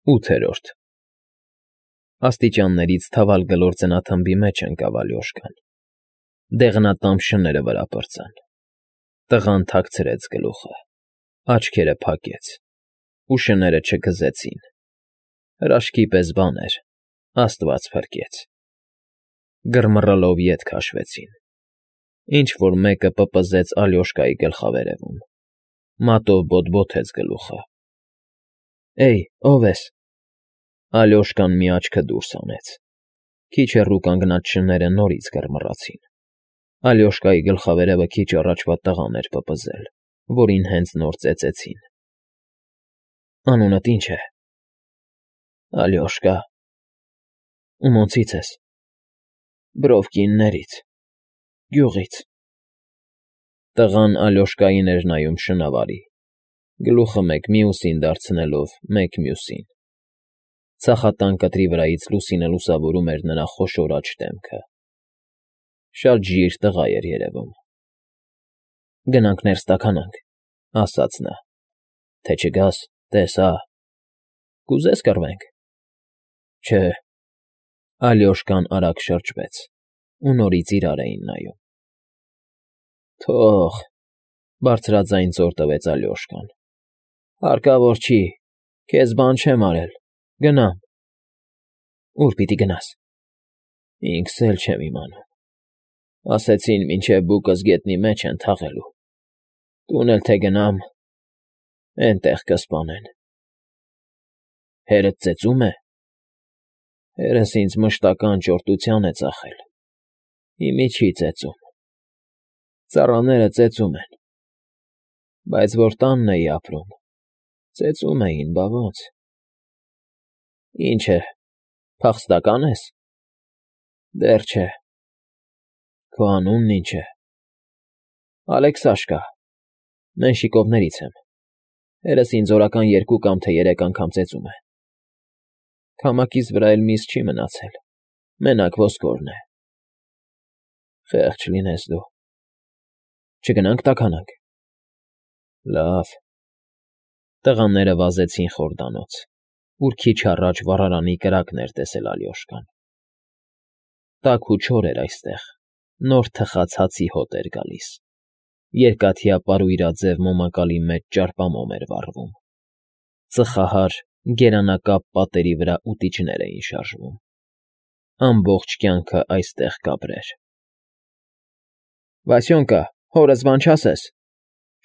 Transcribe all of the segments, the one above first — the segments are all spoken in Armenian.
8-րդ Աստիճաններից թավալ գլոր ձնաթմբի մեջ ընկավ Ալյոշկան, դեղնատամ շները վրա պրծան, տղան թաքցրեց գլուխը, աչքերը փակեց, ու շները չգզեցին, հրաշքի պես բան էր, Աստված փրկեց, գրմռլով ետ քաշվեցին, ինչ-որ մեկը պպզեց Ալյոշկայի գլխավերևում, մատով բոթբոթեց գլուխը, Էյ, ո՞վ ես։ Ալյոշկան մի աչքը դուրս հանեց, քիչ հեռու կանգնած շները նորից գրմռացին, Ալյոշկայի գլխավերևը քիչ առաջվա տղան էր պպզել, որին հենց նոր ծեծեցին։ Անունդ ի՞նչ է։ Ալյոշկա։ Ումոնցից ես։ Բրովկիններից, գյուղից։ Տղան Ալյոշկային էր նայում շնավարի, գլուխը մեկ մյուսին դարձնելով մեկ մյուսին։ Ցախատան կտրի վրայից լուսինը լուսավորում էր նրա խոշոր աջ դեմքը։ Շատ ժիր տղա էր երևում։ Գնանք ներս տաքանանք, ասաց նա, թե չգաս, տես հա, կուզես կռվենք։ Չէ։ Ալյոշկան արագ շրջվեց, ու նորից իրար էին նայում։ Թող, բարձրաձայն ծոր տվեց Ալյոշկան։ Հարկավոր չի, քեզ բան չեմ արել, գնամ։ Ուր պիտի գնաս։ Ինքս էլ չեմ իմանում։ Ասեցին մինչև բուկս գետնի մեջ են թաղելու։ Տուն էլ թե գնամ, էնտեղ կսպանեն։ Հերդ ծեծում է։ Հերս ինձ մշտական ճորտության է ծախել։ Հիմի չի ծեծում։ Ծառաները ծեծում են։ Բայց որ տանն էի ապրում, ծեծում էին, բա ոնց։ Ինչ է, փախստական ես։ Դեռ չէ։ Քո անունն ինչ է։ Ալեքսաշկա, Մենշիկովներից եմ։ Հերս ինձ օրական 2 կամ թե 3 անգամ ծեծում է։ Քամակից վրա էլ միս չի մնացել, մենակ ոսկորն է։ Խեղճ լինես դու։ Չգնանք տաքանանք։ Լավ։ Տղաները վազեցին խորդանոց, ուր քիչ առաջ վառարանի կրակն էր տեսել Ալյոշկան։ Տաք ու չոր էր այստեղ, նոր թխած հացի հոտ էր գալիս, երկաթյա պարույրաձև մոմակալի մեջ ճարպամոմ էր վառվում, ծխահար, գերանակապ պատերի վրա ուտիչներ էին շարժվում, ամբողջ կյանքը այստեղ կապրեր։ Վասյոնկա, հորս բան չասես,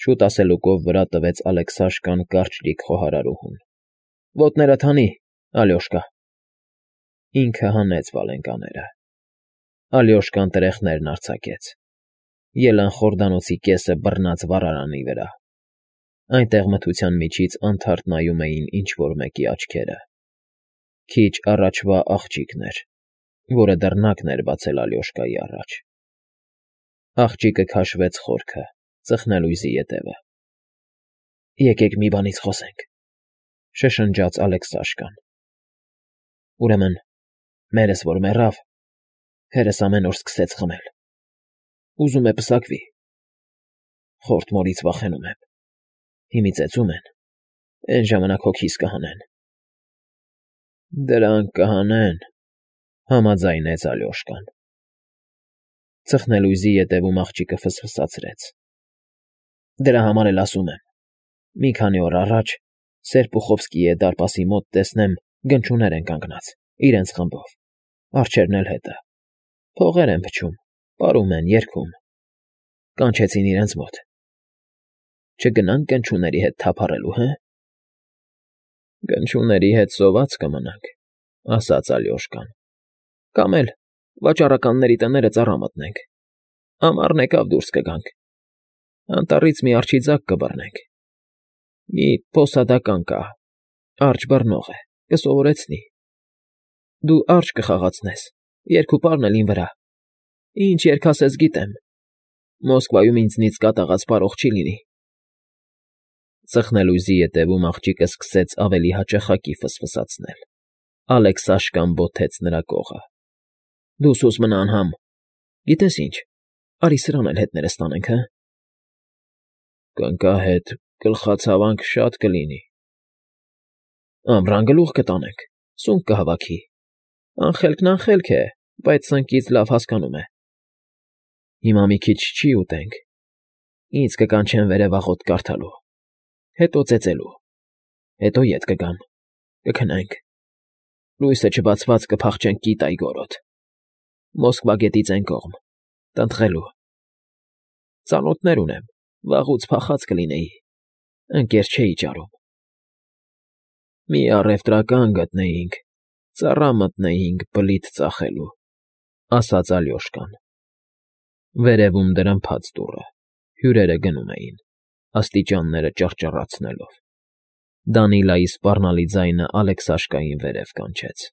շուտ ասելուկով վրա տվեց Ալեքսաշկան կարճլիկ խոհարարուհուն։ Ոտներդ հանի, Ալյոշկա։ Ինքը հանեց վալենկաները։ Ալյոշկան տրեխներն արձակեց։ Ելան խորդանոցի կեսը բռնած վառարանի վրա։ Այնտեղ մթության միջից անթարթ նայում էին ինչ-որ մեկի աչքերը։ Քիչ առաջվա աղջիկն էր, որը դռնակն էր բացել Ալյոշկայի առաջ։ Աղջիկը քաշվեց խորքը, ծխնելույզի ետևը։ Եկեք մի բանից խոսենք, շշնջաց Ալեքսաշկան։ Ուրեմն, մերս որ մեռավ, հերս ամեն օր սկսեց խմել։ Ուզում է պսակվի։ Խորտ մորից վախենում եմ։ Հիմի ծեծում են, այն ժամանակ հոգիս կհանեն։ Դրանք կհանեն, համաձայնեց Ալյոշկան։ Ծխնելույզի ետևում աղջիկը ֆսֆսացրեց։ Դրա համար էլ ասում եմ։ Մի քանի օր առաջ Սերպուխովսկիի դարպասի մոտ տեսնեմ գնչուներ են կանգնած, իրենց խմբով, արջերն էլ հետը, փողեր են փչում, պարում են, երգում։ Կանչեցին իրենց մոտ։ Չգնանք գնչուների հետ թափառելու, հը։ Գնչուների հետ սոված կմնանք, ասաց Ալյոշկան։ Կամ էլ վաճառականների տները ծառա մտնենք։ Ամառն եկավ դուրս կգանք։ Անտառից մի արջի ձագ կբռնենք։ Մի փոսադական կա, արջ բռնող է, կսովորեցնի։ Դու արջ կխաղացնես, երգ ու պարն էլ ին վրա։ Ինչ երգ ասես գիտեմ։ Մոսկվայում ինձնից կատաղած պարող չի լինի։ Ծխնելույզի ետևում աղջիկը սկսեց ավելի հաճախակի ֆսֆսացնել։ Ալեքսաշկան բոթեց նրա կողը։ Դու սուս մնա անհամ։ Գիտես ինչ, արի սրան էլ հետներս տանենք, հը։ Կնկա հետ գլխացավանք շատ կլինի։ Ամռան գլուխ կտանենք, սունկ կհավաքի։ Անխելքն անխելք է, բայց սնկից լավ հասկանում է։ Հիմա մի քիչ չի ուտենք, ինձ կկանչեն վերևաղոտ կարդալու, հետո ծեծելու, հետո ետ կգամ, կքնենք, լույսը չբացված կփախչենք Կիտայի գորոդ, Մոսկվա գետից այն կողմ, տնտղելու։ Ծանոթներ ունեմ, վաղուց փախած կլինեի, ընկեր չէի ճարում։ Մի առևտրական գտնեինք, ծառա մտնեինք բլիթ ծախելու, ասաց Ալյոշկան։ Վերևում դրդմփաց դուռը, հյուրերը գնում էին, աստիճանները ճռճռացնելով։ Դանիլայի սպառնալի ձայնը Ալեքսաշկային վերև կանչեց։